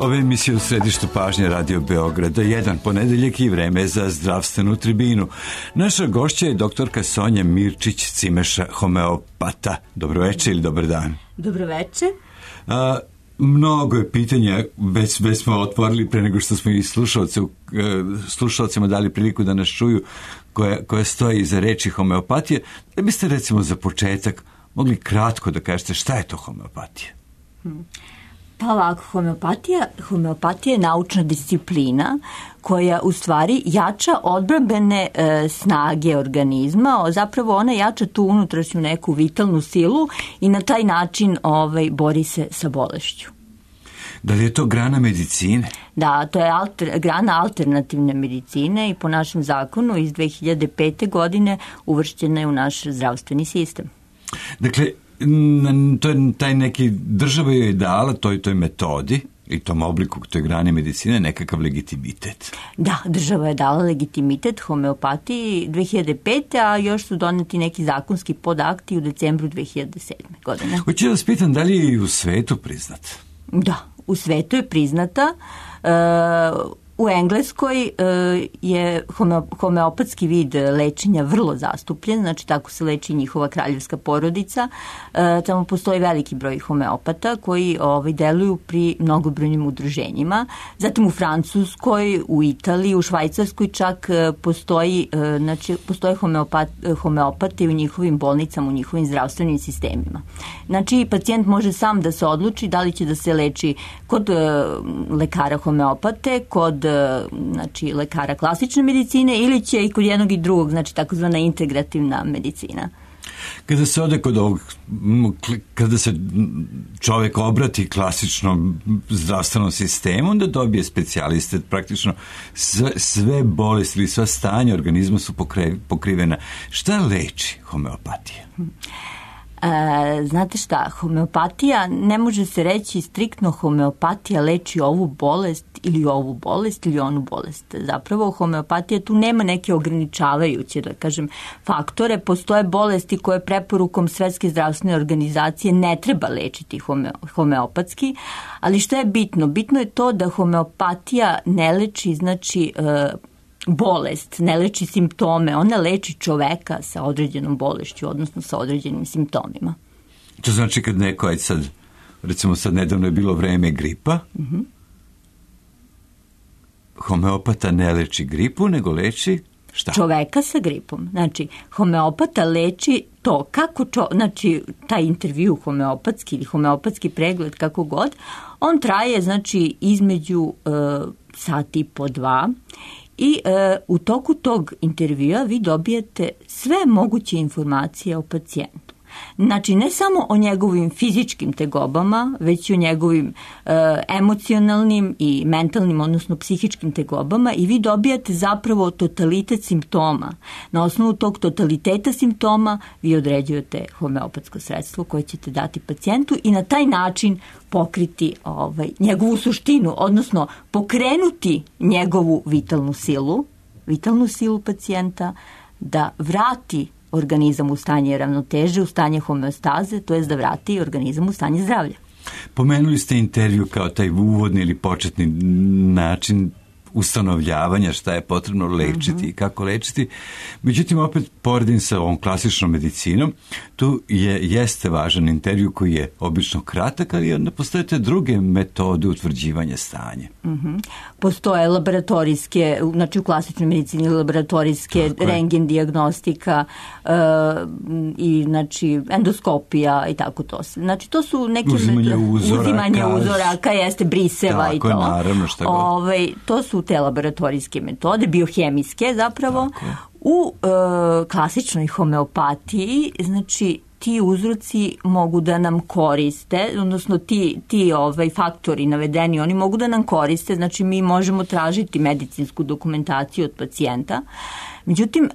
Ove emisije u središtu pažnje Radio Beograda, jedan ponedeljak i vreme za zdravstvenu tribinu. Naša gošća je doktorka Sonja Mirčić-Cimeša, homeopata. Dobro večer ili dobar dan? Dobro večer. Mnogo je pitanja, već smo otvorili pre nego što smo i slušalcima dali priliku da nas čuju koja stoji iza reči homeopatije. Da biste recimo za početak mogli kratko da kažete šta je to homeopatija? Pa ovako, homeopatija je naučna disciplina koja u stvari jača odbrambene snage organizma, zapravo ona jača tu unutrašnju neku vitalnu silu i na taj način bori se sa bolešću. Da li je to grana medicine? Da, to je grana alternativne medicine i po našem zakonu iz 2005. godine uvršćena je u naš zdravstveni sistem. Dakle, to je taj neki, država je dala toj metodi i tom obliku toj grane medicine nekakav legitimitet. Da, država je dala legitimitet homeopatiji 2005. a još su doneti neki zakonski podakti u decembru 2007. godine. Hoću da vas pitam, da li je i u svetu priznat? Da, u svetu je priznata. U Engleskoj je homeopatski vid lečenja vrlo zastupljen, znači tako se leči njihova kraljevska porodica. Tamo postoji veliki broj homeopata koji deluju pri mnogobrojnim udruženjima. Zatim u Francuskoj, u Italiji, u Švajcarskoj čak postoje homeopate u njihovim bolnicama, u njihovim zdravstvenim sistemima. Znači pacijent može sam da se odluči da li će da se leči kod lekara homeopate, kod lekara klasične medicine ili će i kod jednog i drugog, znači takozvana integrativna medicina. Kada se ode kod ovog, kada se čovjek obrati klasičnom zdravstvenom sistemu, onda dobije specijaliste, praktično sve bolesti ili sva stanja organizma su pokrivena. Šta leči homeopatija? Znate šta, homeopatija, ne može se reći striktno homeopatija leči ovu bolest ili onu bolest. Zapravo homeopatija tu nema neke ograničavajuće, da kažem, faktore. Postoje bolesti koje preporukom Svetske zdravstvene organizacije ne treba lečiti homeopatski, ali što je bitno? Bitno je to da homeopatija ne leči, znači, bolest, ne leči simptome, ona leči čoveka sa određenom bolešću, odnosno sa određenim simptomima. To znači kad neko, recimo sad nedavno je bilo vreme gripa, homeopata ne leči gripu, nego leči šta? Čoveka sa gripom. Znači, homeopata leči to kako, znači, taj intervju homeopatski ili homeopatski pregled, kako god, on traje, znači, između sati i po 2. I u toku tog intervjua vi dobijete sve moguće informacije o pacijentu. Znači, ne samo o njegovim fizičkim tegobama, već i o njegovim emocionalnim i mentalnim, odnosno psihičkim tegobama i vi dobijate zapravo totalitet simptoma. Na osnovu tog totaliteta simptoma vi određujete homeopatsko sredstvo koje ćete dati pacijentu i na taj način pokriti njegovu suštinu, odnosno pokrenuti njegovu vitalnu silu pacijenta da vrati organizam u stanje ravnoteže, u stanje homeostaze, to je da vrati organizam u stanje zdravlja. Pomenuli ste intervju kao taj uvodni ili početni način ustanovljavanja šta je potrebno lečiti i kako lečiti. Međutim, opet poredim sa ovom klasičnom medicinom, tu jeste važan intervju koji je obično kratak, ali onda postoje te druge metode utvrđivanja stanja. Postoje laboratorijske, znači u klasičnoj medicini laboratorijske, rentgen dijagnostika i znači endoskopija i tako to. Znači to su neke uzimanje uzoraka, jeste briseva tako, i to. Tako, naravno, šta god. To su te laboratorijske metode, biohemijske zapravo. U klasičnoj homeopatiji, znači ti uzroci mogu da nam koriste, odnosno ti faktori navedeni, oni mogu da nam koriste, znači mi možemo tražiti medicinsku dokumentaciju od pacijenta. Međutim,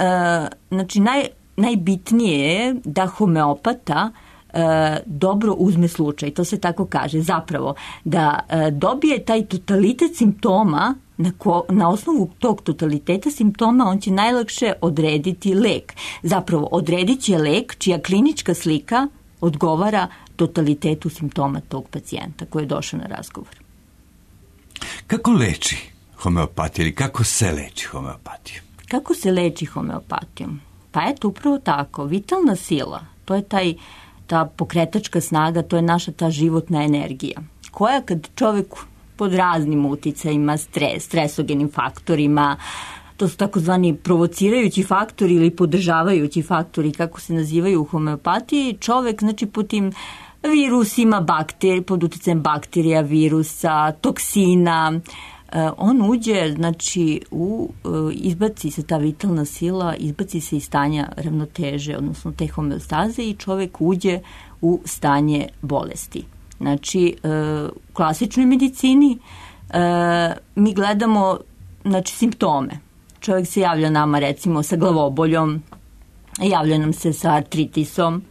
znači najbitnije je da homeopata dobro uzme slučaj, to se tako kaže, zapravo da dobije taj totalitet simptoma. Na osnovu tog totaliteta simptoma on će najlakše odrediti lek. Zapravo, odredit će lek čija klinička slika odgovara totalitetu simptoma tog pacijenta koji je došao na razgovor. Kako leči homeopatija ili kako se leči homeopatija? Kako se leči homeopatijom? Pa eto, upravo tako. Vitalna sila, to je ta pokretačka snaga, to je naša ta životna energija, koja kad čovjek pod raznim uticajima, stresogenim faktorima, to su takozvani provocirajući faktori ili podržavajući faktori, kako se nazivaju u homeopatiji, čovjek, znači, po tim virusima, pod uticajem bakterija, virusa, toksina, on uđe, znači, izbaci se ta vitalna sila, izbaci se iz stanja ravnoteže, odnosno te homeostaze, i čovjek uđe u stanje bolesti. Znači, u klasičnoj medicini mi gledamo, znači, simptome. Čovjek se javlja nama, recimo, sa glavoboljom, javlja nam se sa artritisom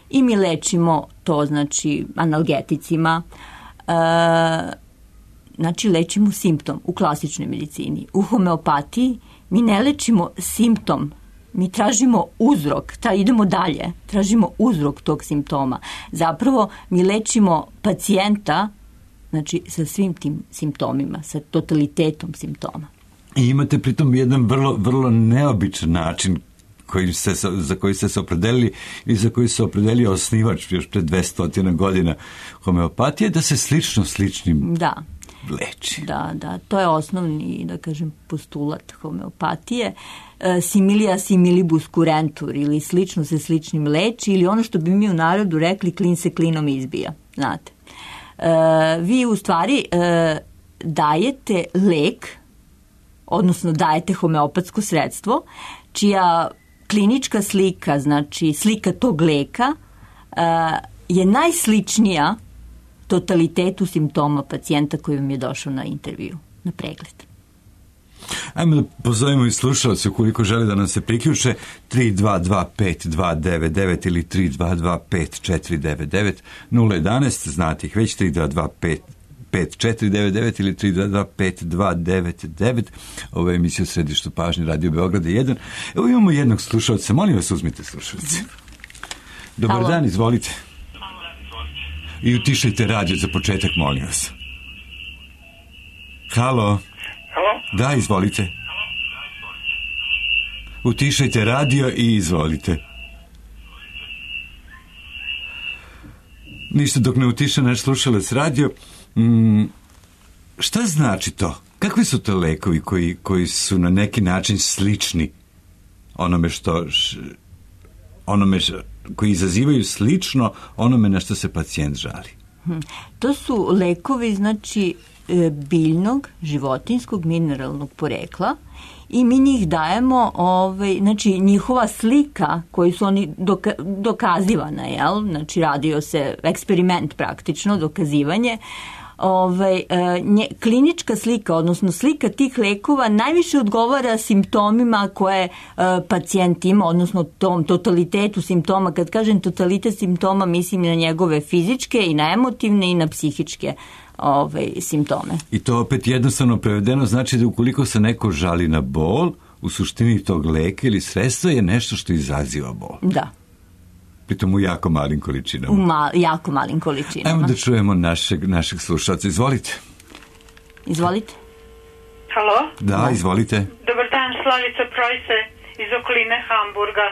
i mi lečimo to, znači, analgeticima. Znači, lečimo simptom u klasičnoj medicini. U homeopatiji mi ne lečimo simptom, mi tražimo uzrok, idemo dalje, tražimo uzrok tog simptoma. Zapravo mi lečimo pacijenta, znači, sa svim tim simptomima, sa totalitetom simptoma. I imate pritom jedan vrlo neobičan način za koji ste se opredelili i za koji se opredelio osnivač još pred 200 godina homeopatije, da se sličnim leči. Da, to je osnovni, da kažem, postulat homeopatije. Similia similibus curentur, ili slično se sličnim leči, ili ono što bi mi u narodu rekli, klin se klinom izbija, znate. Vi u stvari dajete lek, odnosno dajete homeopatsko sredstvo, čija klinička slika, znači slika tog leka, je najsličnija totalitetu simptoma pacijenta koji vam je došao na intervju, na pregled. Ajmo da pozovemo i slušalce ukoliko žele da nam se priključe 3225-299 ili 3225-499 011, znate ih već, 3225-499 ili 3225-299. Ovo je emisija u središtu pažnje Radio Beograda 1. Evo imamo jednog slušalca, molim vas, uzmite slušalce. Dobar dan, izvolite. I utišajte radio za početak, molim vas. Halo? Da, izvolite. Utišajte radio i izvolite. Ništa dok ne utiša naš slušalac radio. Šta znači to? Kakvi su to lekovi koji su na neki način slični koji izazivaju slično onome na što se pacijent žali? To su lekovi, znači, biljnog, životinskog, mineralnog porekla, i mi njih dajemo, znači, njihova slika koju su oni dokazivana, znači radio se eksperiment praktično, dokazivanje, klinička slika, odnosno slika tih lekova najviše odgovara simptomima koje pacijent ima, odnosno tom totalitetu simptoma. Kad kažem totalitet simptoma, mislim na njegove fizičke i na emotivne i na psihičke simptome. I to opet jednostavno prevedeno znači da ukoliko se neko žali na bol, u suštini tog leka ili sredstva je nešto što izaziva bol. Da. Pritom u jako malim količinama. Jako malim količinama. Ajmo da čujemo našeg slušalca. Izvolite. Izvolite. Halo? Da, izvolite. Dobar dan, Slavica Projse iz okoline Hamburga.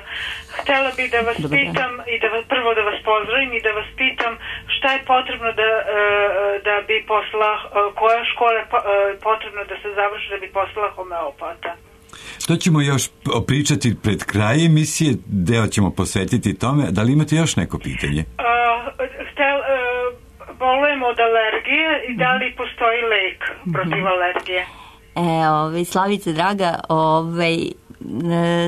Htjela bih da vas pitam i prvo da vas pozdravim i da vas pitam šta je potrebno da bi koja škola je potrebno da se završi da bi postala homeopata. To ćemo još pričati pred kraj emisije, deo ćemo posvetiti tome. Da li imate još neko pitanje? Bolujem od alergije i da li postoji lek protiv alergije? Slavice, draga,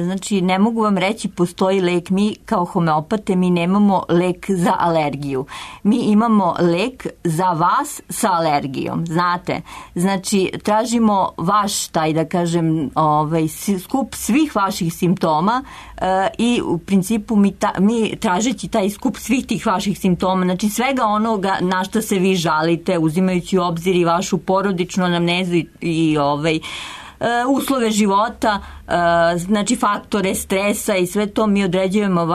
znači, ne mogu vam reći postoji lek. Mi kao homeopate, mi nemamo lek za alergiju. Mi imamo lek za vas sa alergijom, znate. Znači, tražimo vaš, da kažem, skup svih vaših simptoma i u principu mi tražeći taj skup svih tih vaših simptoma, znači svega onoga na što se vi žalite, uzimajući u obzir i vašu porodičnu anamnezu i uslove života, znači faktore stresa i sve to mi određujemo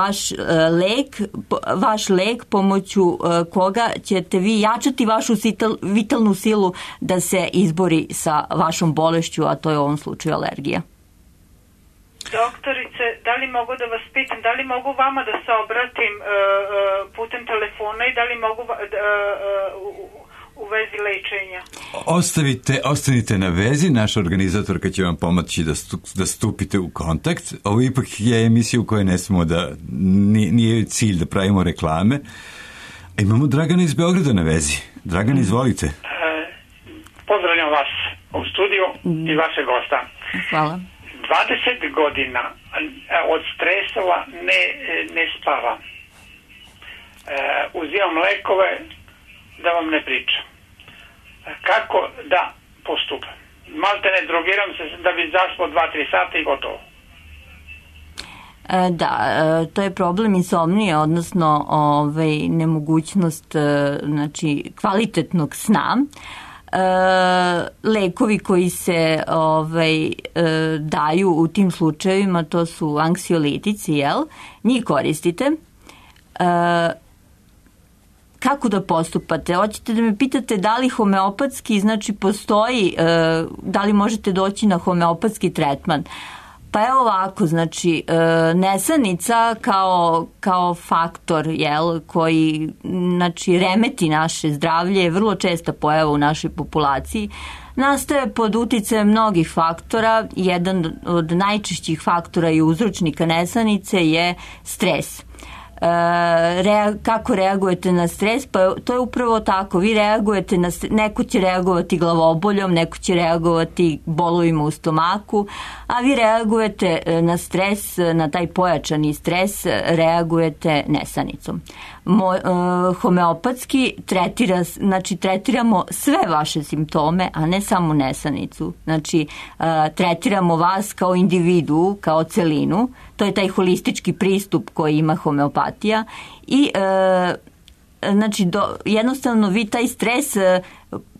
vaš lek pomoću koga ćete vi jačati vašu vitalnu silu da se izbori sa vašom bolešću, a to je u ovom slučaju alergija. Doktorice, da li mogu da vas pitam, da li mogu vama da se obratim putem telefona i da li mogu u vezi lečenja? Ostanite na vezi, naša organizatorka će vam pomoći da stupite u kontakt. Ovo ipak je emisija u kojoj ne smemo da, nije cilj da pravimo reklame. Imamo Dragana iz Beograda na vezi. Dragan, izvolite. Pozdravljam vas u studiju i vaše gosta. Hvala. 20 godina od stresova ne spavam. Uzimam lekove, da vam ne pričam. Kako da postupam? Malte ne drogiram se da bi zaspao 2-3 sata i gotovo. Da, to je problem insomnije, odnosno nemogućnost znači, kvalitetnog sna. Lekovi koji se daju u tim slučajevima, to su anksiolitici, njih koristite. Kako da postupate? Hoćete da me pitate da li homeopatski, znači postoji, da li možete doći na homeopatski tretman? Pa evo ovako, znači nesanica kao faktor koji znači, remeti naše zdravlje je vrlo česta pojava u našoj populaciji. Nastaje pod uticajem mnogih faktora. Jedan od najčešćih faktora i uzročnika nesanice je stres. Kako reagujete na stres? Pa to je upravo tako. Vi reagujete na stres, neko će reagovati glavoboljom, neko će reagovati bolovima u stomaku, a vi reagujete na stres, na taj pojačani stres, reagujete nesanicom. Homeopatski tretiramo sve vaše simptome, a ne samo nesanicu. Znači, tretiramo vas kao individu, kao celinu. To je taj holistički pristup koji ima homeopatija i znači, jednostavno vi taj stres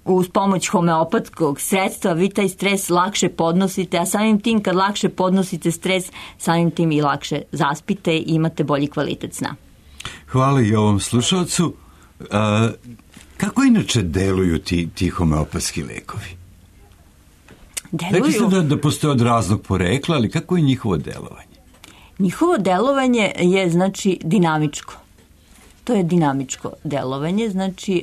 uz pomoć homeopatskog sredstva, vi taj stres lakše podnosite, a samim tim kad lakše podnosite stres, samim tim i lakše zaspite i imate bolji kvalitet sna. Hvala i ovom slušalcu. Kako inače deluju ti homeopatski lekovi? Rekli ste da postoje od raznog porekla, ali kako je njihovo delovanje? Njihovo delovanje je, znači, dinamičko. To je dinamičko delovanje, znači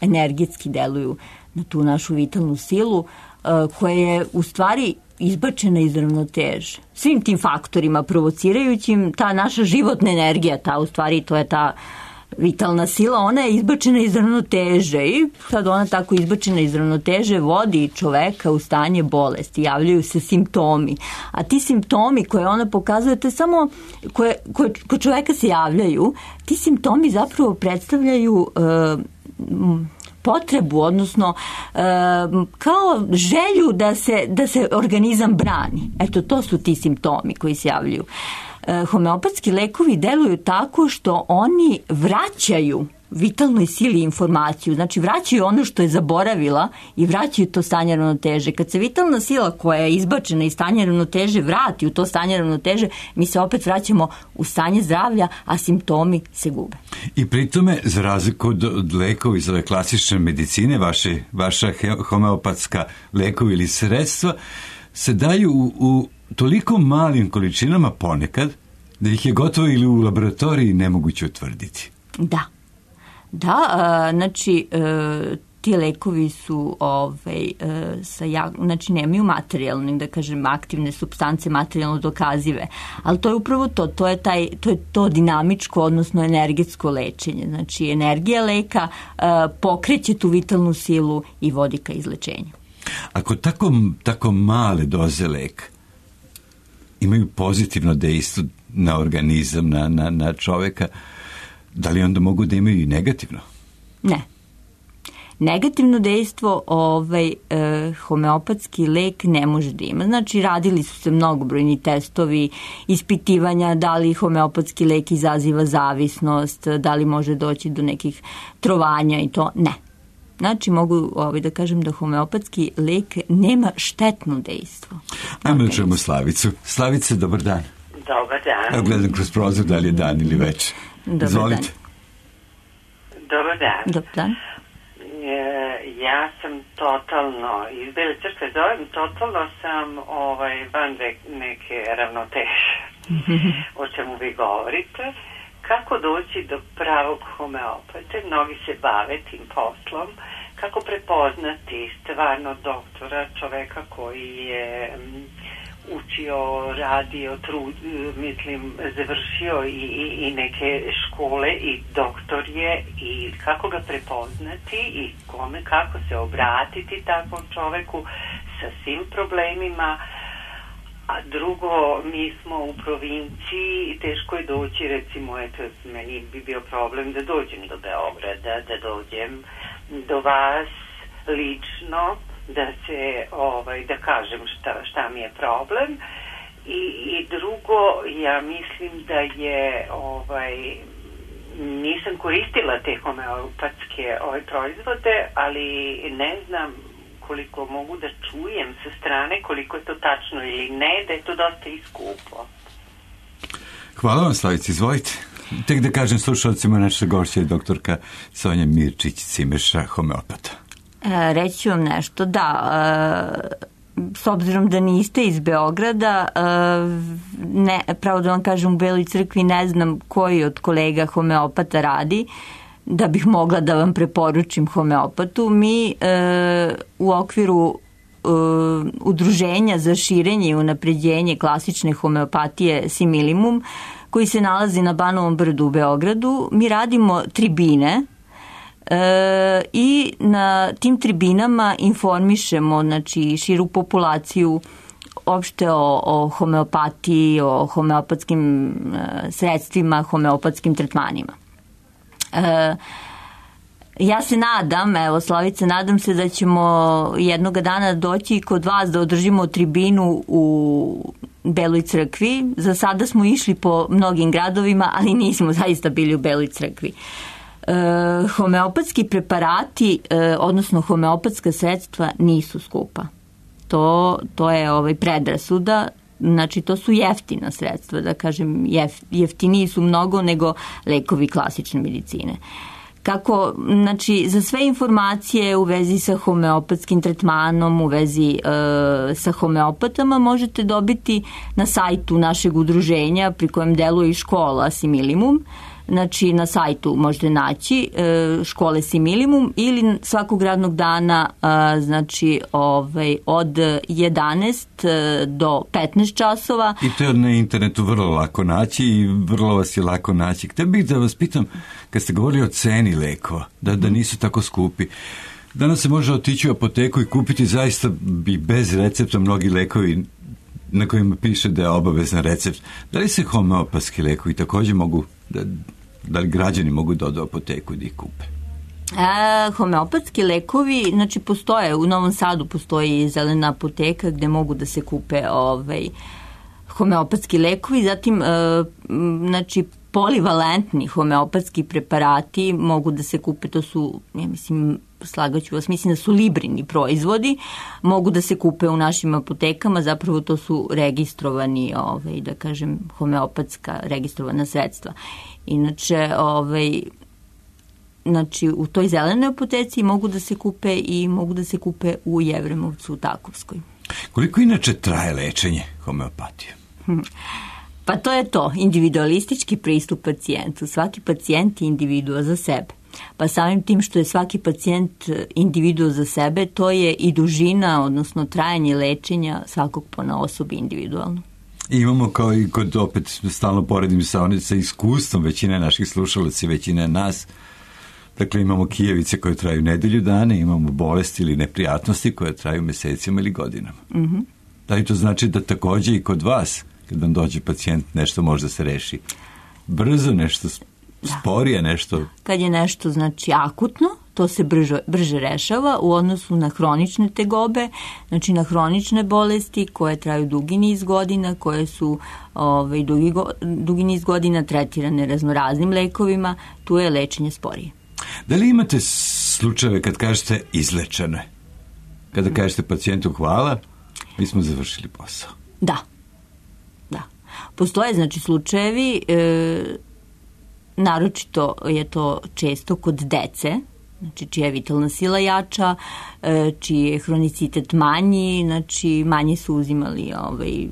energetski deluju na tu našu vitalnu silu koja je u stvari izbačena iz ravnoteže. Svim tim faktorima provocirajućim, ta naša životna energija, to je ta vitalna sila, ona je izbačena iz ravnoteže i sad ona tako izbačena iz ravnoteže vodi čoveka u stanje bolesti, javljaju se simptomi, a ti simptomi koje ona pokazuje, to je samo kod čoveka se javljaju, ti simptomi zapravo predstavljaju potrebu, odnosno kao želju da se organizam brani. Eto, to su ti simptomi koji se javljaju. Homeopatski lekovi deluju tako što oni vraćaju vitalnoj sili informaciju, znači vraćaju ono što je zaboravila i vraćaju to stanje ravnoteže. Kad se vitalna sila koja je izbačena iz stanja ravnoteže vrati u to stanje ravnoteže, mi se opet vraćamo u stanje zdravlja, a simptomi se gube. I pri tome, za razliku od lekova iz ove klasične medicine, vaša homeopatska lekovi ili sredstva se daju u toliko malim količinama ponekad da ih je gotovo ili u laboratoriji nemoguće utvrditi. Da, znači ti lekovi su znači nemaju materijalne, da kažem, aktivne supstance materijalno dokazive, ali to je upravo to je to dinamičko, odnosno energetsko lečenje. Znači energija leka pokreće tu vitalnu silu i vodi ka izlečenju. Ako tako male doze leka imaju pozitivno dejstvo na organizam, na čoveka, da li onda mogu da imaju i negativno? Ne. Negativno dejstvo homeopatski lek ne može da ima. Znači, radili su se mnogobrojni testovi, ispitivanja da li homeopatski lek izaziva zavisnost, da li može doći do nekih trovanja i to. Ne. Znači, mogu da kažem da homeopatski lek nema štetno dejstvo. Ajmo da čujemo Slavicu. Slavice, dobar dan. Dobar dan. Evo gledam kroz prozor da li je dan ili večer. Izvolite. Dobar dan. Dobar dan. Ja sam totalno, iz Bele Crkve zovem, totalno sam van neke ravnoteže. O čemu vi govorite. Kako doći do pravog homeopate? Mnogi se bave tim poslom. Kako prepoznati stvarno doktora, čoveka koji je učio, radio, završio i neke škole i doktor je, i kako ga prepoznati i kome, kako se obratiti takvom čoveku sa svim problemima. A drugo, mi smo u provinciji, teško je doći, recimo, eto, meni bi bio problem da dođem do Beograda, da dođem do vas lično, da se, da kažem šta mi je problem. I drugo, ja mislim da je, nisam koristila te homeopatske proizvode, ali ne znam koliko mogu da čujem sa strane, koliko je to tačno ili ne, da je to dosta i skupo. Hvala vam, Slavici, izvolite. Tek da kažem slušalcima, naša gošća je doktorka Sonja Mirčić-Cimeša, homeopata. Reći ću vam nešto, da, s obzirom da niste iz Beograda, pravo da vam kažem, u Beloj Crkvi ne znam koji od kolega homeopata radi, da bih mogla da vam preporučim homeopatu. Mi u okviru Udruženja za širenje i unapređenje klasične homeopatije Similimum, koji se nalazi na Banovom brdu u Beogradu, mi radimo tribine i na tim tribinama informišemo, znači, širu populaciju opšte o homeopatiji, o homeopatskim sredstvima, homeopatskim tretmanima. Ja se nadam, evo Slavice, nadam se da ćemo jednoga dana doći kod vas da održimo tribinu u Beloj Crkvi. Za sada smo išli po mnogim gradovima, ali nismo zaista bili u Beloj Crkvi. Homeopatski preparati, odnosno homeopatska sredstva nisu skupa. To je predrasuda. Znači, to su jeftina sredstva, da kažem, jeftiniji su mnogo nego lekovi klasične medicine. Kako, znači, za sve informacije u vezi sa homeopatskim tretmanom, u vezi sa homeopatama možete dobiti na sajtu našeg udruženja pri kojem deluje i škola Similimum. Znači, na sajtu možete naći škole Similimum ili svakog radnog dana, znači, od 11 do 15 časova. I to je na internetu vrlo lako naći i vrlo vas je lako naći. Htio bih da vas pitam, kad ste govorili o ceni lekova, da nisu tako skupi, danas se može otići u apoteku i kupiti zaista i bez recepta mnogi lekovi na kojima piše da je obavezan recept. Da li se homeopatski lekovi također mogu, da li građani mogu da odu u apoteku i da ih kupe? Homeopatski lekovi, znači, postoje, u Novom Sadu postoji zelena apoteka gde mogu da se kupe homeopatski lekovi, zatim, znači, polivalentni homeopatski preparati mogu da se kupe, to su, ja mislim, slagaću vas, mislim da su librini proizvodi, mogu da se kupe u našim apotekama, zapravo to su registrovani, da kažem, homeopatska registrovana sredstva. Inače, znači, u toj zelenoj apoteci mogu da se kupe i mogu da se kupe u Jevremovcu, u Takovskoj. Koliko inače traje lečenje homeopatije? Pa to je to, individualistički pristup pacijentu. Svaki pacijent je individua za sebe. Pa samim tim što je svaki pacijent individua za sebe, to je i dužina, odnosno trajanje lečenja svakog ponaosob individualno. I imamo, kao i kod, opet stalno poredim sa iskustvom većine naših slušalaca, većine nas, dakle imamo kijevice koje traju nedelju dana, imamo bolesti ili neprijatnosti koje traju mesecima ili godinama. Mm-hmm. Da li to znači da također i kod vas, kad vam dođe pacijent, nešto može se reši brzo, nešto sporije, nešto? Kad je nešto, znači, akutno, to se brže rešava u odnosu na hronične tegobe, znači na hronične bolesti koje traju dugi niz godina, koje su dugi niz godina tretirane raznoraznim lekovima, tu je lečenje sporije. Da li imate slučajeve kad kažete izlečeno je. Kada kažete pacijentu hvala, mi smo završili posao. Da. Postoje, znači, slučajevi, naročito je to često kod dece, znači čija je vitalna sila jača, čiji je hronicitet manji, znači manje su uzimali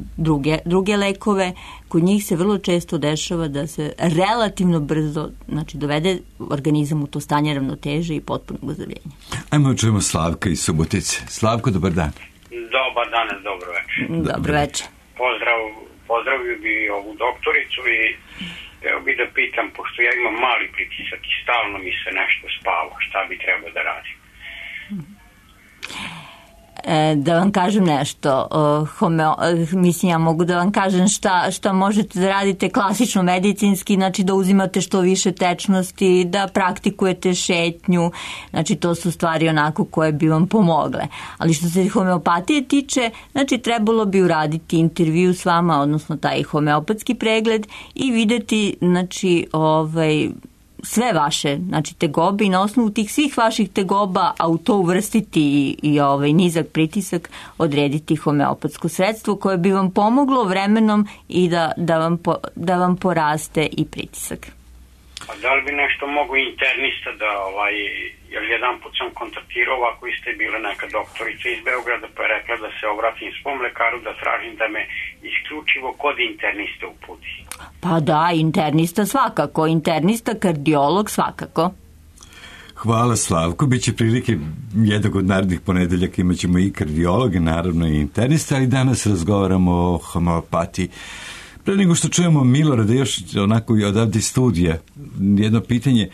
druge lekove. Kod njih se vrlo često dešava da se relativno brzo, znači, dovede organizam u to stanje ravnoteže i potpunog ozdravljenja. Ajmo čujemo Slavka iz Subotice. Slavko, dobar dan. Dobar dan, dobro večer. Dobro večer. Pozdravio bi ovu doktoricu i evo bi da pitam, pošto ja imam mali pritisak i stalno mi se nešto spava, šta bi trebao da radim? Da vam kažem nešto, mislim, ja mogu da vam kažem šta možete da radite klasično medicinski, znači da uzimate što više tečnosti, da praktikujete šetnju, znači to su stvari onako koje bi vam pomogle. Ali što se homeopatije tiče, znači trebalo bi uraditi intervju s vama, odnosno taj homeopatski pregled i videti, znači, sve vaše, znači, tegobe i na osnovu tih svih vaših tegoba, a u to uvrstiti i nizak pritisak, odrediti homeopatsko sredstvo koje bi vam pomoglo vremenom i da vam poraste i pritisak. A da li bi nešto mogu internista da, jer jedan put sam kontaktirao, ovako isto je bila neka doktorica iz Beograda, pa je rekla da se obratim svom lekaru, da tražim da me isključivo kod internista uputi. Pa da, internista svakako, internista, kardiolog svakako. Hvala, Slavko, biće prilike jednog od narednih ponedeljaka, imat ćemo i kardiologe, naravno i internista, ali danas razgovaramo o homeopatiji. Pre nego što čujemo Milorada, još onako odavde studija, jedno pitanje.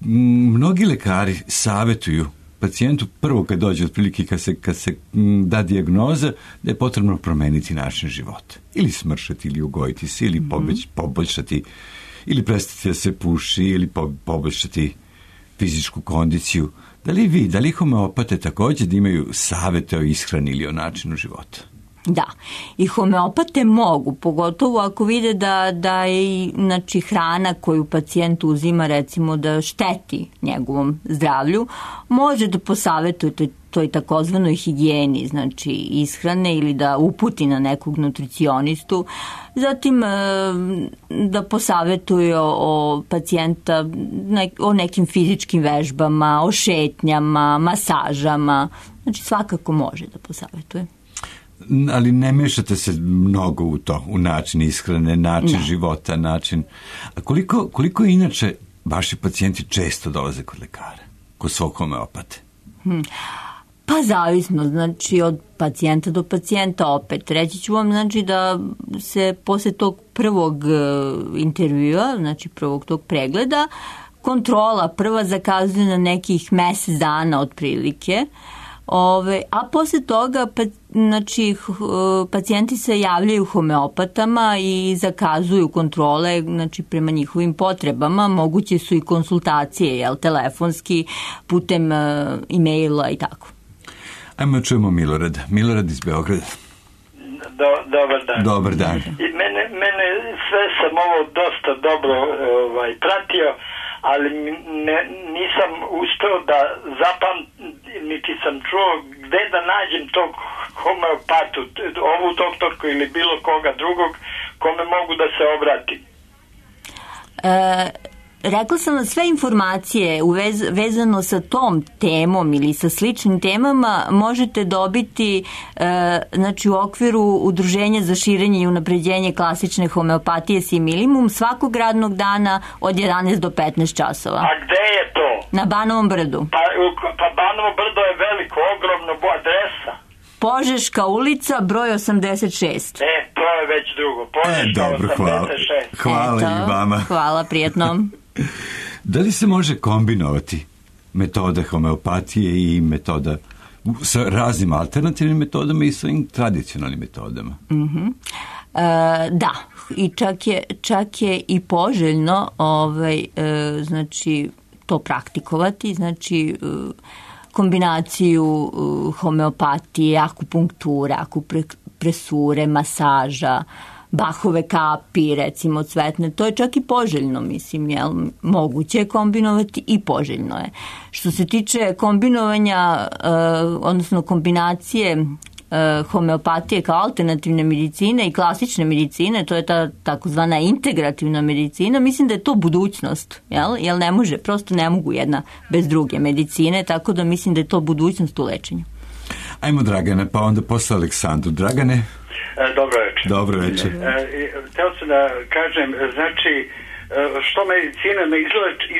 Mnogi lekari savjetuju pacijentu prvo kad dođe, otprilike kad se da dijagnoza, da je potrebno promeniti način života. Ili smršati, ili ugojiti se, ili poboljšati, ili prestati da se puši, ili poboljšati fizičku kondiciju. Da li homeopate također da imaju savjete o ishrani ili o načinu života? Da, i homeopate mogu, pogotovo ako vide da je, znači, hrana koju pacijent uzima, recimo, da šteti njegovom zdravlju, može da posavjetujete toj takozvanoj higijeni, znači ishrane, ili da uputi na nekog nutricionistu, zatim da posavjetuje o pacijenta o nekim fizičkim vežbama, o šetnjama, masažama, znači svakako može da posavjetuje. Ali ne mešate se mnogo u to, u način ishrane, način života, način... A koliko inače vaši pacijenti često dolaze kod lekara, kod svog homeopate? Pa zavisno, znači od pacijenta do pacijenta opet. Reći ću vam, znači, da se posle tog prvog intervjua, znači prvog tog pregleda, kontrola prva zakazuje na nekih mesec dana otprilike, a posle toga znači, pacijenti se javljaju homeopatama i zakazuju kontrole, znači, prema njihovim potrebama. Moguće su i konsultacije, telefonski, putem e-maila i tako. Ajmo čujemo Milorad. Milorad iz Beograda. Dobar dan. Dobar dan. Mene sve sam ovo dosta dobro pratio, ali nisam uspeo da niti sam čuo gde da nađem tog homeopatu, ovu doktorku ili bilo koga drugog kome mogu da se obratim. Rekla sam vam, sve informacije vezano sa tom temom ili sa sličnim temama možete dobiti znači, u okviru Udruženja za širenje i unapređenje klasične homeopatije Similimum svakog radnog dana od 11 do 15 časova. A gde je to? Na Banovom brdu. Pa Banovo brdo je veliko, ogromno, adresa. Požeška ulica, broj 86. To je već drugo. Požeška dobro, 86. Hvala i vama. Hvala, prijetno. Da li se može kombinovati metoda homeopatije i metoda sa raznim alternativnim metodama i svojim tradicionalnim metodama? Da, i čak je i poželjno znači, to praktikovati, znači kombinaciju homeopatije, akupunkture, akupresure, masaža, Bachove kapi, recimo cvetne, to je čak i poželjno, mislim, jel? Moguće je kombinovati i poželjno je. Što se tiče kombinovanja, odnosno kombinacije homeopatije kao alternativne medicine i klasične medicine, to je ta takozvana integrativna medicina, mislim da je to budućnost, jel ne može, prosto ne mogu jedna bez druge medicine, tako da mislim da je to budućnost u lečenju. Ajmo Dragane, pa onda posle Aleksandru. Dragane? Dobro večer. Dobro večer. Hteo sam da kažem, znači, što medicina ne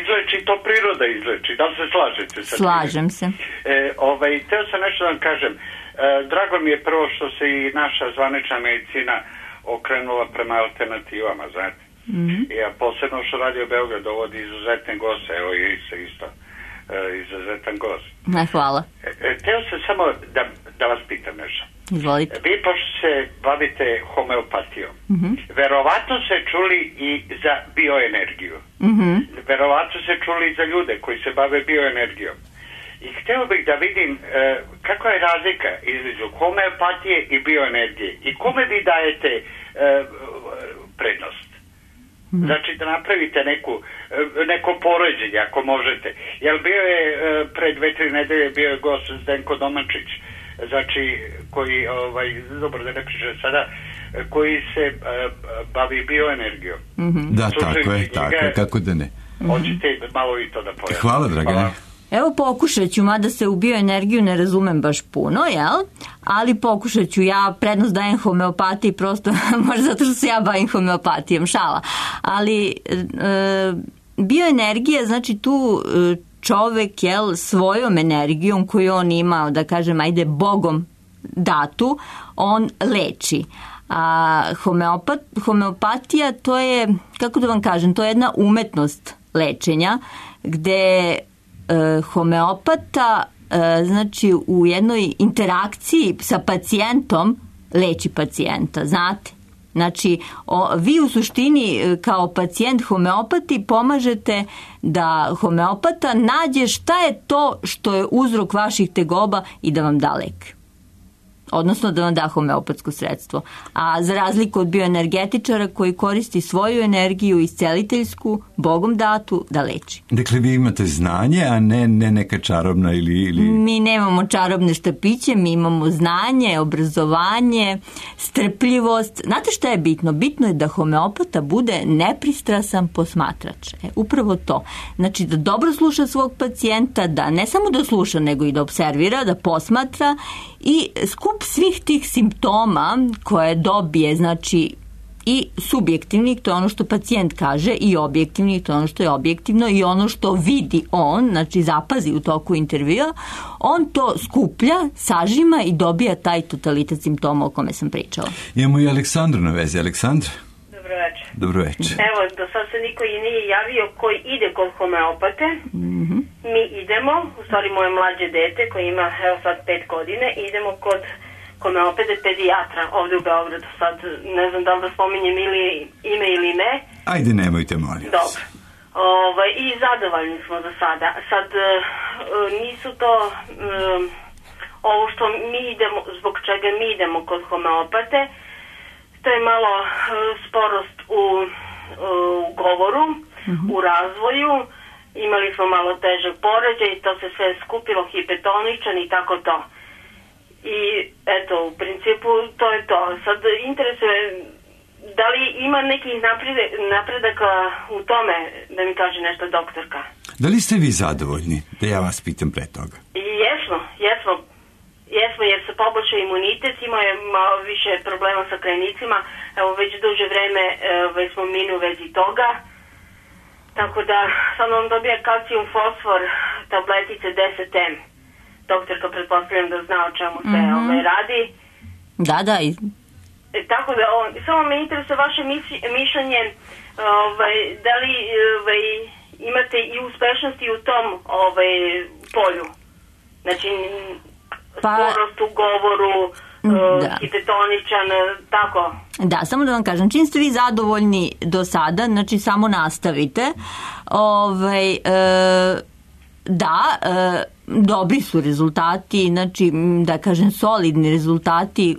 izleči, to priroda izleči. Da li se slažete sa tim? Slažem se. Hteo sam nešto da vam kažem. Drago mi je prvo što se i naša zvanična medicina okrenula prema alternativama, znate. Ja posebno što Radio Beograd dovodi izuzetne goste, evo i se isto izuzetan gost. Hvala. Hteo sam samo da vas pitam nešto. Izvolite. Vi pošto se bavite homeopatijom, verovatno se čuli i za bioenergiju. Verovatno se čuli i za ljude koji se bave bioenergijom. I hteo bih da vidim kakva je razlika između homeopatije i bioenergije i kome vi dajete prednost. Znači da napravite neko poređenje ako možete. Jer bio je pred 2-3 nedelje bio je gost Zdenko Domančić, znači koji, dobro da ne pričam sada, koji se bavi bioenergijom. Da, tako je, kako da ne. Hoćete malo i to da pojavite. Hvala, Dragane. Evo pokušat ću, mada se u bioenergiju ne razumem baš puno, jel? Ali pokušat ću, ja prednost dajem homeopatiji prosto, možda zato što se ja bavim homeopatijom, šala. Ali bioenergija, znači tu čovek, jel, svojom energijom koju on ima, da kažem, ajde, Bogom datu, on leči. A homeopatija, to je, kako da vam kažem, to je jedna umetnost lečenja, gde homeopata znači u jednoj interakciji sa pacijentom leči pacijenta, znate. Znači, vi u suštini kao pacijent homeopati pomažete da homeopata nađe šta je to što je uzrok vaših tegoba i da vam da lek. Odnosno da vam da homeopatsko sredstvo. A za razliku od bioenergetičara koji koristi svoju energiju isceliteljsku, Bogom datu, da leči. Dakle, vi imate znanje, a ne neka čarobna ili... Mi nemamo čarobne štapiće, mi imamo znanje, obrazovanje, strpljivost. Znate šta je bitno? Bitno je da homeopata bude nepristrasan posmatrač. Upravo to. Znači da dobro sluša svog pacijenta, da ne samo da sluša, nego i da observira, da posmatra i skup svih tih simptoma koje dobije, znači i subjektivnih, to je ono što pacijent kaže, i objektivnih, to je ono što je objektivno, i ono što vidi on, znači zapazi u toku intervjua, on to skuplja, sažima i dobija taj totalitet simptoma o kome sam pričala. Imamo i Aleksandru na vezi. Aleksandra? Dobro večer. Dobro večer. Evo, do sad se niko i nije javio koji ide kod homeopate. Mi idemo, u stvari moje mlađe dete koje ima evo sad 5 godine, idemo kod homeopate pedijatra ovdje u Beogradu. Sad ne znam da li da spominjem ime ili ne. Ajde, nemojte, molim. Dobro. I zadovoljni smo za sada. Sad nisu to ovo što mi idemo, zbog čega mi idemo kod homeopate, to je malo sporost u govoru, u razvoju. Imali smo malo težak poređaj, to se sve skupilo, hipotoničan i tako to. I eto, u principu to je to. Sad interesuje, da li ima nekih napredaka u tome, da mi kaže nešto doktorka? Da li ste vi zadovoljni? Da ja vas pitam pre toga. Jesmo, jer se poboljšao imunitet, imao je malo više problema sa krajnicima, evo već duže vreme već smo minu vezi toga, tako da sad on dobija kalcijum fosfor, tabletice 10M. Doktorka pretpostavljam da zna o čemu se radi. Da. Tako da, samo me interesuje vaše mišljenje, da li imate i uspešnosti u tom polju, znači sporost u govoru, hipotoničan, tako. Da, samo da vam kažem, čim ste vi zadovoljni do sada, znači samo nastavite. dobri su rezultati, znači, da kažem, solidni rezultati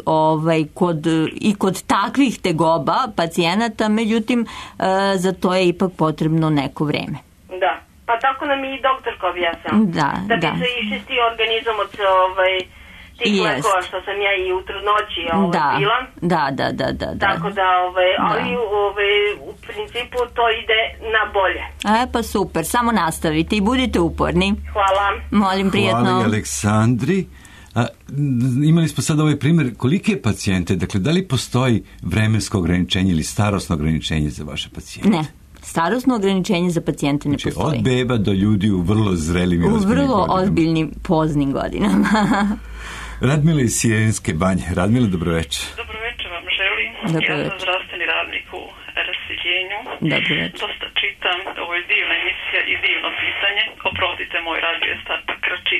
kod takvih tegoba pacijenata, međutim, za to je ipak potrebno neko vreme. Da, pa tako nam i doktorka objasnila. Da bi se iščistio organizam od tih lekova što sam ja i u trudnoći bila. Da. Tako da, ali u principu to ide na bolje. Pa super, samo nastavite i budite uporni. Hvala. Molim, prijetno. Hvala i Aleksandri. Imali smo sad ovaj primjer, kolike pacijente, dakle, da li postoji vremensko ograničenje ili starosno ograničenje za vaše pacijente? Ne. Starosno ograničenje za pacijente ne postoji. Od beba do ljudi u vrlo zrelim i ozbiljnim godinama. U vrlo ozbiljnim, poznim godinama. Radmila iz Sjelenske Banje. Radmila, dobroveče. Dobroveče vam želim. Ja sam zdravstveni radnik u raseljenju. Dosta čitam, ovo je divna emisija i divno pitanje. Oprostite, moj radio je star pa kraći.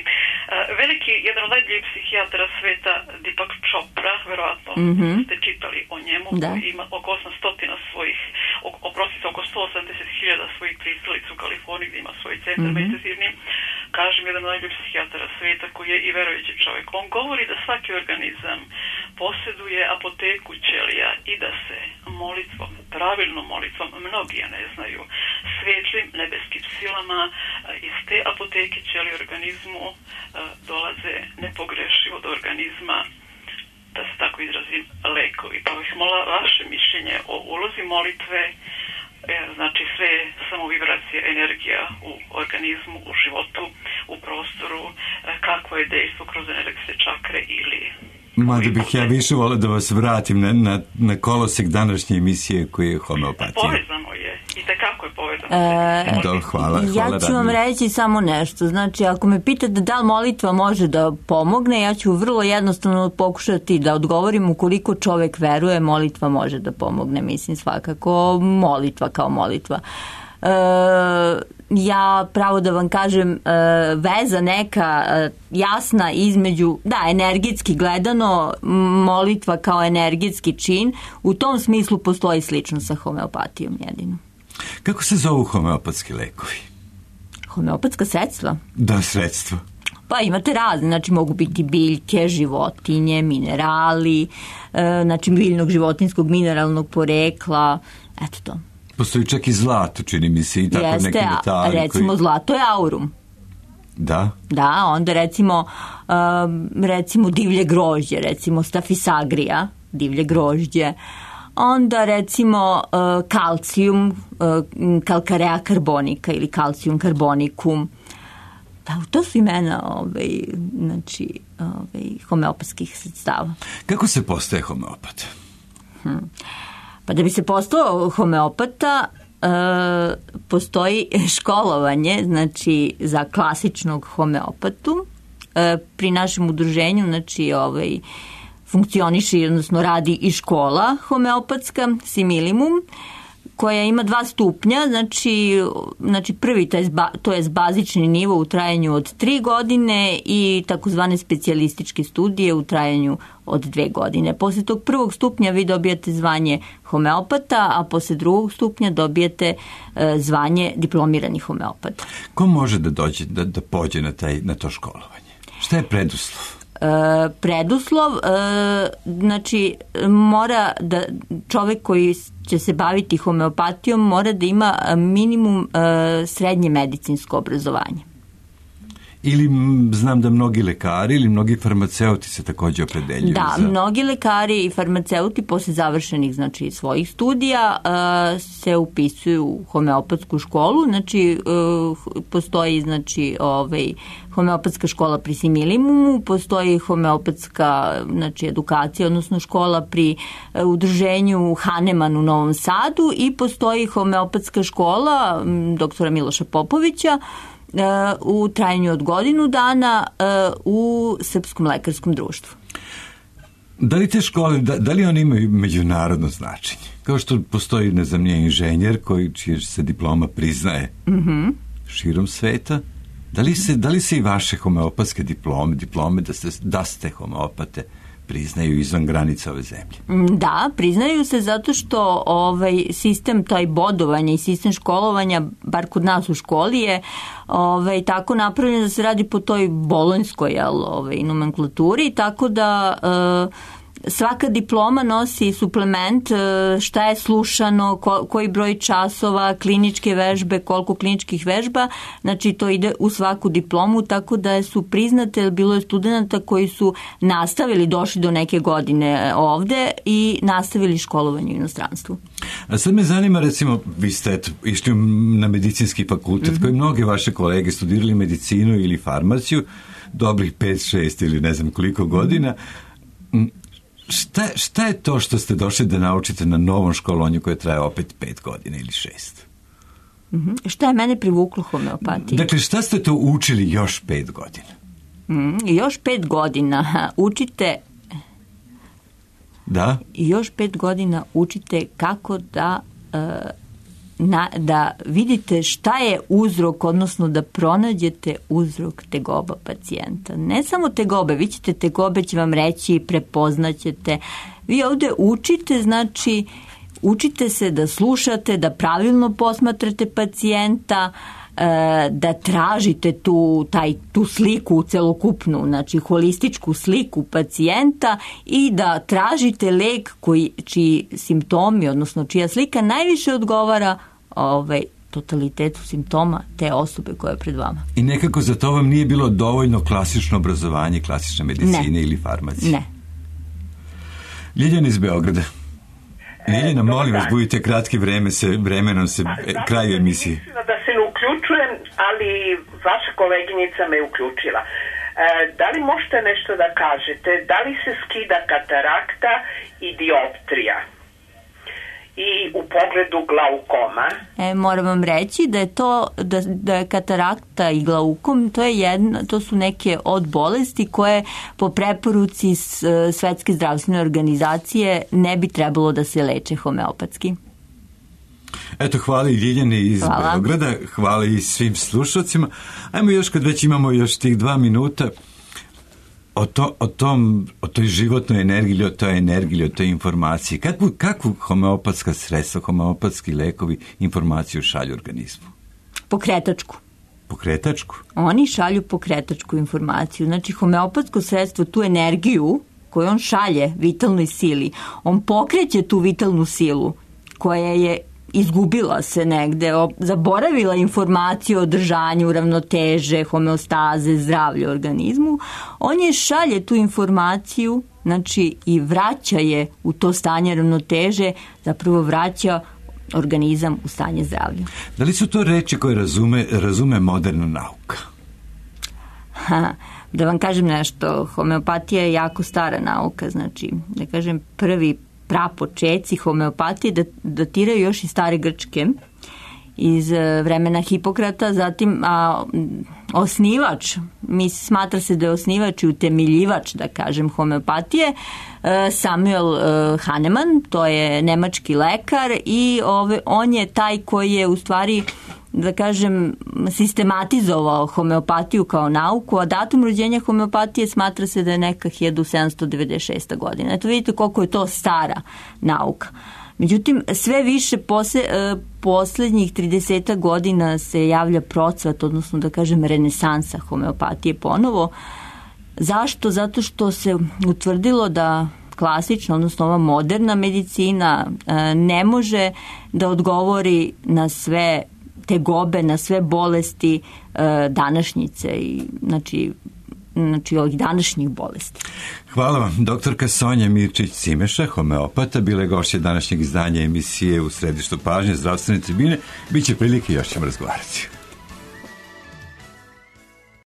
Jedan od najboljih psihijatara sveta, Deepak Chopra, verovatno ste čitali o njemu, koji ima oko 800 svojih, oko 180.000 svojih pristalica u Kaliforniji, gdje ima svoj centar meditativni. Kažem, jedan od najboljih psihijatara sveta koji je i verujući čovjek. On govori da svaki organizam posjeduje apoteku ćelija i da se molitvom, pravilnom molitvom, mnogi je ne znaju, svetlim nebeskim silama iz te apoteke ćelije organizmu dolaze nepogrešivo do organizma, da se tako izrazim, lekovi. Pa bih molila vaše mišljenje o ulozi molitve, znači sve samo vibracija, energija u organizmu, u životu, u prostoru, kako je dejstvo kroz energetske čakre ili... Mada bih ja više volio da vas vratim na kolosek današnje emisije koji je homeopatija. Povezano je. I tekako je povezano. Hvala. Ja ću vam reći samo nešto. Znači, ako me pitate da li molitva može da pomogne, ja ću vrlo jednostavno pokušati da odgovorim ukoliko čovek veruje, molitva može da pomogne. Mislim, svakako molitva kao molitva. Ja pravo da vam kažem, veza neka jasna između, energetski gledano, molitva kao energetski čin, u tom smislu postoji slično sa homeopatijom jedino. Kako se zovu homeopatski lekovi? Homeopatska sredstva? Da, sredstva. Pa imate razne, znači mogu biti biljke, životinje, minerali, znači biljnog životinskog mineralnog porekla, eto to. Postoji čak i zlato, čini mi se, i tako neki metali. Recimo zlato je aurum. Da? Da, onda recimo divlje grožđe, recimo Staphysagrija, divlje grožđe. Onda recimo kalcijum, calcarea carbonica ili calcium carbonicum. Da, to su imena homeopatskih sredstava. Kako se postaje homeopat? Pa da bi se postao homeopata, postoji školovanje, znači za klasičnog homeopatu. Pri našem udruženju, znači funkcioniše, odnosno radi i škola homeopatska, Similimum, koja ima 2 stupnja, znači prvi to je bazični nivo u trajanju od 3 godine i takozvane specijalističke studije u trajanju od 2 godine. Posle tog prvog stupnja vi dobijate zvanje homeopata, a posle drugog stupnja dobijete zvanje diplomirani homeopata. Ko može da dođe, da pođe na to školovanje? Šta je preduslov? Preduslov, znači mora da čovek koji će se baviti homeopatijom mora da ima minimum srednje medicinsko obrazovanje. Ili znam da mnogi lekari ili mnogi farmaceuti se također opredeljuju. Da, mnogi lekari i farmaceuti posle završenih svojih studija se upisuju u homeopatsku školu. Znači postoji homeopatska škola pri Similimumu, postoji homeopatska edukacija, odnosno škola pri udruženju Hahnemann u Novom Sadu i postoji homeopatska škola doktora Miloša Popovića u trajanju od godinu dana u Srpskom lekarskom društvu. Da li te škole, da li one imaju međunarodno značenje? Kao što postoji, ne znam, inženjer čija se diploma priznaje širom sveta, da li se i vaše homeopatske diplome da ste homeopate priznaju izvan granica ove zemlje. Da, priznaju se zato što sistem taj bodovanja i sistem školovanja, bar kod nas u školi je tako napravljen da se radi po toj bolonjskoj nomenklaturi, tako da svaka diploma nosi suplement šta je slušano, koji broj časova, kliničke vežbe, koliko kliničkih vežba, znači to ide u svaku diplomu, tako da su priznate, bilo je studenta koji su nastavili, došli do neke godine ovde i nastavili školovanje u inostranstvu. A sad me zanima, recimo, vi ste išli na medicinski fakultet, koji mnoge vaše kolege studirali medicinu ili farmaciju, dobrih 5-6 ili ne znam koliko godina. Šta je to što ste došli da naučite na novom školovanju koje traje opet 5 godina ili 6? Šta je mene privuklo homeopatiji? Dakle, šta ste to učili još 5 godina? Još 5 godina učite... Da? Još 5 godina učite kako da vidite šta je uzrok, odnosno da pronađete uzrok tegoba pacijenta. Ne samo tegobe, vi ćete tegobe, će vam reći, prepoznaćete. Vi ovdje učite, znači učite se da slušate, da pravilno posmatrate pacijenta, da tražite tu sliku celokupnu, znači holističku sliku pacijenta i da tražite lek čiji simptomi, odnosno čija slika najviše odgovara totalitetu simptoma te osobe koja je pred vama. I nekako za to vam nije bilo dovoljno klasično obrazovanje, klasične medicine ili farmacije? Ne. Ljiljana iz Beograda. Ljiljana, molim vas, budite kratki, vremenom se kraju emisije. Da se ne uključujem, ali vaša koleginica me uključila. Da li možete nešto da kažete? Da li se skida katarakta i dioptrija? I u pogledu glaukoma? Moram vam reći da je da je katarakta i glaukom, to su neke od bolesti koje po preporuci Svetske zdravstvene organizacije ne bi trebalo da se leče homeopatski. Eto, hvala i Ljiljani iz Beograda, hvala i svim slušalcima. Ajmo još, kad već imamo još tih 2 minuta, o toj životnoj energiji, o toj energiji, o toj informaciji. Kakvu homeopatska sredstva, homeopatski lekovi informaciju šalju organizmu? Pokretačku. Pokretačku? Oni šalju pokretačku informaciju. Znači, homeopatsko sredstvo, tu energiju koju on šalje vitalnoj sili, on pokreće tu vitalnu silu koja je izgubila se negde, zaboravila informaciju o održanju, ravnoteže, homeostaze, zdravlje u organizmu, on je šalje tu informaciju, znači i vraća je u to stanje ravnoteže, zapravo vraća organizam u stanje zdravlja. Da li su to reči koje razume moderna nauka? Da vam kažem nešto, homeopatija je jako stara nauka, znači, da kažem, prvi prapočeci homeopatije datiraju još iz stare Grčke, iz vremena Hipokrata, zatim osnivač, smatra se da je osnivač i utemeljivač, da kažem, homeopatije, Samuel Hahnemann, to je nemački lekar i on je taj koji je u stvari, da kažem, sistematizovao homeopatiju kao nauku, a datum rođenja homeopatije smatra se da je neka 1796. godina. Eto vidite koliko je to stara nauka. Međutim, sve više posljednjih 30 godina se javlja procvat, odnosno da kažem renesansa homeopatije ponovo. Zašto? Zato što se utvrdilo da klasična, odnosno ova moderna medicina ne može da odgovori na sve tegobe, na sve bolesti današnjice i znači ovih današnjih bolesti. Hvala vam. Doktorka Sonja Mirčić-Cimeša, homeopata, bila je gošća današnjeg izdanja emisije U središtu pažnje zdravstvene tribine. Biće prilike, još ćemo razgovarati.